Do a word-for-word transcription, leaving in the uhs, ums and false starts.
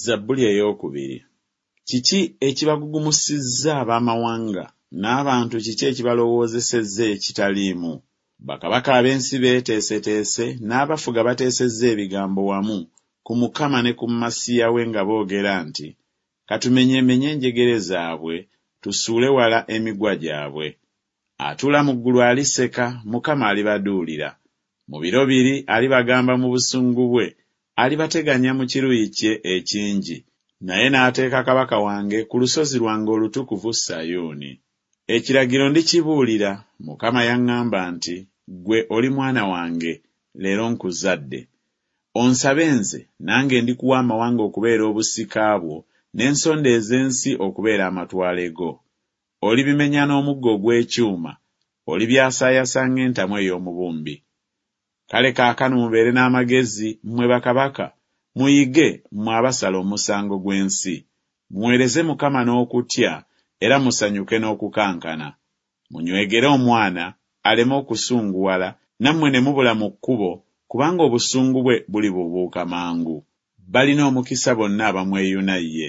Zabbuli eyookubiri. Kiki ekibagugumusizza ab'amawanga, n'abantu kiki ekibalowoozesezza ekitaliimu? Bakabaka ab'ensi beeteeseteese, n'abafuga bateesezza ebigambo wamu ku Mukama ne ku Masiya we nga boogera nti, Ka tumenyeemenye enjegere zaabwe, tusuule wala emigwa gyabwe. Atuula mu ggulu aliseka, Mukama alibaduulira. Mu biro biri alibagamba mu busungu bwe, alibateganya mu kiruyi kye ekingi, naye n'ateeka kabaka wange ku lusozi lwange olutukuvu Sayuuni. Ekiragiro ndikibuulira, Mukama yaŋŋamba nti, Ggwe oli mwana wange, leero nkuzadde. Onsabe nze, nange ndikuwa amawanga okubeera obusika bwo, n'ensonda ez'ensi okubeera amatwale go. Olibimenya n'omuggo ogw'ekyuma, olibyasaayasa ng'entamu ey'omubumbi. Kale kaakano mubeere n'amagezi, mmwe bakabaka, muyige, mmwe abasala omusango gw'ensi. Muweereze Mukama n'okutya, era musanyuke n'okukankana. Munywegere omwana, aleme okusunguwala, nammwe ne mubula mu kkubo, kubanga obusungu bwe bulibuubuuka mangu. Balina omukisa bonna abamweyuna ye.